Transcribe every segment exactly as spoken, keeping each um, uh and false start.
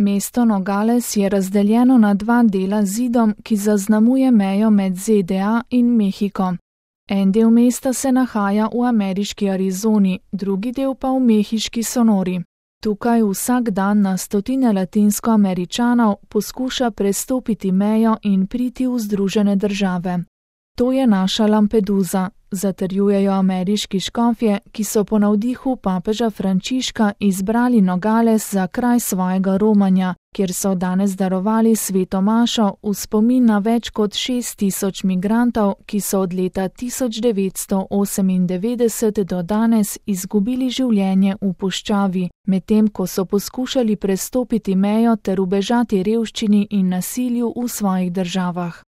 Mesto Nogales je razdeljeno na dva dela z zidom, ki zaznamuje mejo med Z D A in Mehiko. En del mesta se nahaja v ameriški Arizoni, drugi del pa v mehiški Sonori. Tukaj vsak dan na stotine Latinskoameričanov poskuša prestopiti mejo in priti v Združene države. To je naša Lampedusa, zatrjujejo ameriški škofje, ki so po navdihu papeža Frančiška izbrali Nogales za kraj svojega romanja, kjer so danes darovali sveto mašo v spomin na več kot šest tisoč migrantov, ki so od leta tisoč devetsto osemindevetdeset do danes izgubili življenje v puščavi, medtem ko so poskušali prestopiti mejo ter ubežati revščini in nasilju v svojih državah.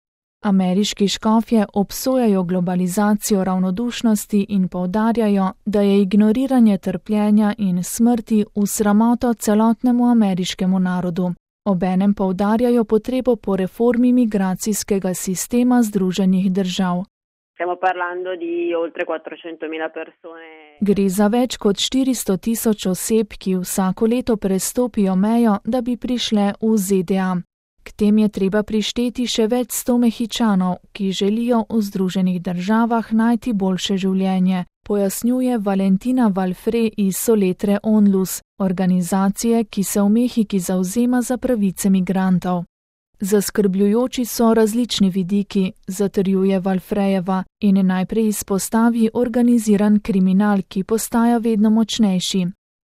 Ameriški škofje obsojajo globalizacijo ravnodušnosti in poudarjajo, da je ignoriranje trpljenja in smrti v sramoto celotnemu ameriškemu narodu. Obenem poudarjajo potrebo po reformi migracijskega sistema Združenih držav. Gre za več kot štiristo tisoč oseb, ki vsako leto prestopijo mejo, da bi prišle v Z D A. K tem je treba prišteti še več sto Mehičanov, ki želijo v Združenih državah najti boljše življenje, pojasnjuje Valentina Valfre iz Soletre Onlus, organizacije, ki se v Mehiki zavzema za pravice migrantov. Zaskrbljujoči so različni vidiki, zatrjuje Valfrejeva in najprej izpostavi organiziran kriminal, ki postaja vedno močnejši.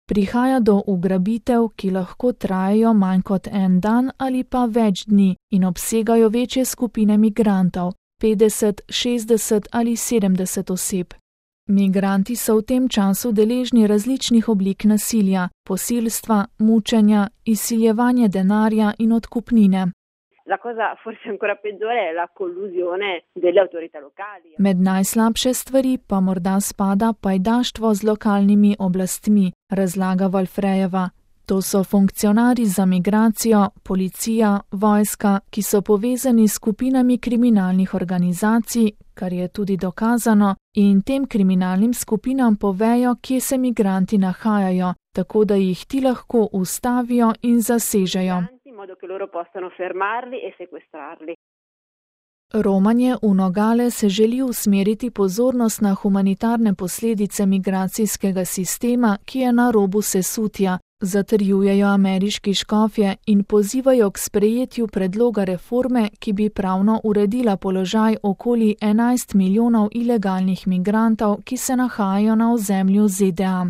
Prihaja do ugrabitev, ki lahko trajajo manj kot en dan ali pa več dni in obsegajo večje skupine migrantov, petdeset, šestdeset ali sedemdeset oseb. Migranti so v tem času deležni različnih oblik nasilja, posilstva, mučenja, izsiljevanja denarja in odkupnine. La cosa forse ancora peggiore è la collusione delle autorità locali. Med najslabše stvari pa morda spada pajdaštvo z lokalnimi oblastmi, razlaga Valfrejeva. To so funkcionarji za migracijo, policija, vojska, ki so povezani s skupinami kriminalnih organizacij, kar je tudi dokazano, in tem kriminalnim skupinam povejo, kje se migranti nahajajo, tako da jih ti lahko ustavijo in zasežejo. Romanje v Nogale se želi usmeriti pozornost na humanitarne posledice migracijskega sistema, ki je na robu sesutja, zatrjujejo ameriški škofje in pozivajo k sprejetju predloga reforme, ki bi pravno uredila položaj okoli enajst milijonov ilegalnih migrantov, ki se nahajajo na ozemlju Z D A.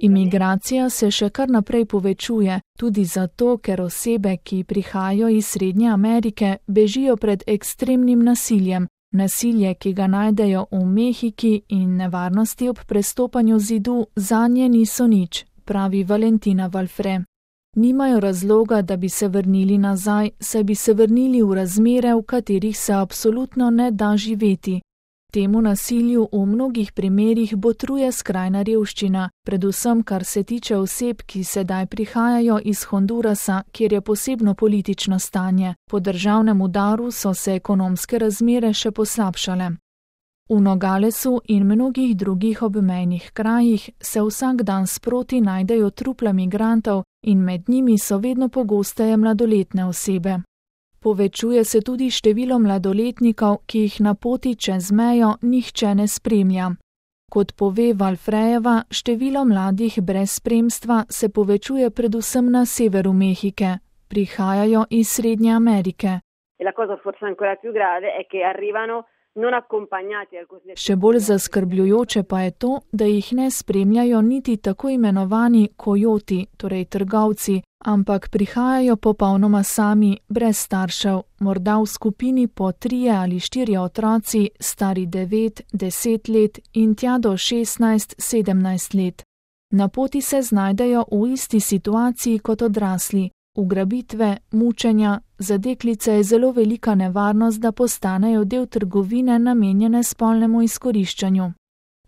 Imigracija se še kar naprej povečuje, tudi zato, ker osebe, ki prihajajo iz Srednje Amerike, bežijo pred ekstremnim nasiljem. Nasilje, ki ga najdejo v Mehiki in nevarnosti ob prestopanju zidu, zanje niso nič, pravi Valentina Valfre. Nimajo razloga, da bi se vrnili nazaj, saj bi se vrnili v razmere, v katerih se absolutno ne da živeti. Temu nasilju v mnogih primerih botruje skrajna revščina, predvsem kar se tiče oseb, ki sedaj prihajajo iz Hondurasa, kjer je posebno politično stanje. Po državnem udaru so se ekonomske razmere še poslabšale. V Nogalesu in mnogih drugih obmejnih krajih se vsak dan sproti najdejo trupla migrantov in med njimi so vedno pogosteje mladoletne osebe. Povečuje se tudi število mladoletnikov, ki jih na poti čez mejo nihče ne spremlja. Kot pove Valfrejeva, število mladih brez spremstva se povečuje predvsem na severu Mehike. Prihajajo iz Srednje Amerike. Še bolj zaskrbljujoče pa je to, da jih ne spremljajo niti tako imenovani kojoti, torej trgovci, ampak prihajajo popolnoma sami, brez staršev, morda v skupini po trije ali štirje otroci, stari devet, deset let in tja do šestnajst, sedemnajst let. Na poti se znajdejo v isti situaciji kot odrasli. Ugrabitve, mučenja, za deklice je zelo velika nevarnost, da postanejo del trgovine namenjene spolnemu izkoriščanju.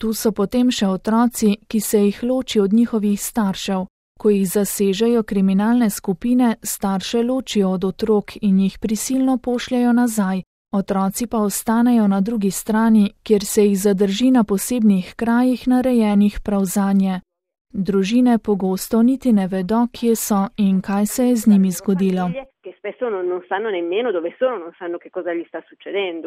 Tu so potem še otroci, ki se jih loči od njihovih staršev. Ko jih zasežejo kriminalne skupine, starše ločijo od otrok in jih prisilno pošljajo nazaj, otroci pa ostanejo na drugi strani, kjer se jih zadrži na posebnih krajih narejenih prav zanje. Družine pogosto niti ne vedo, kje so in kaj se je z njimi zgodilo. Che spesso non, non sanno nemmeno dove sono, non sanno che cosa gli sta succedendo.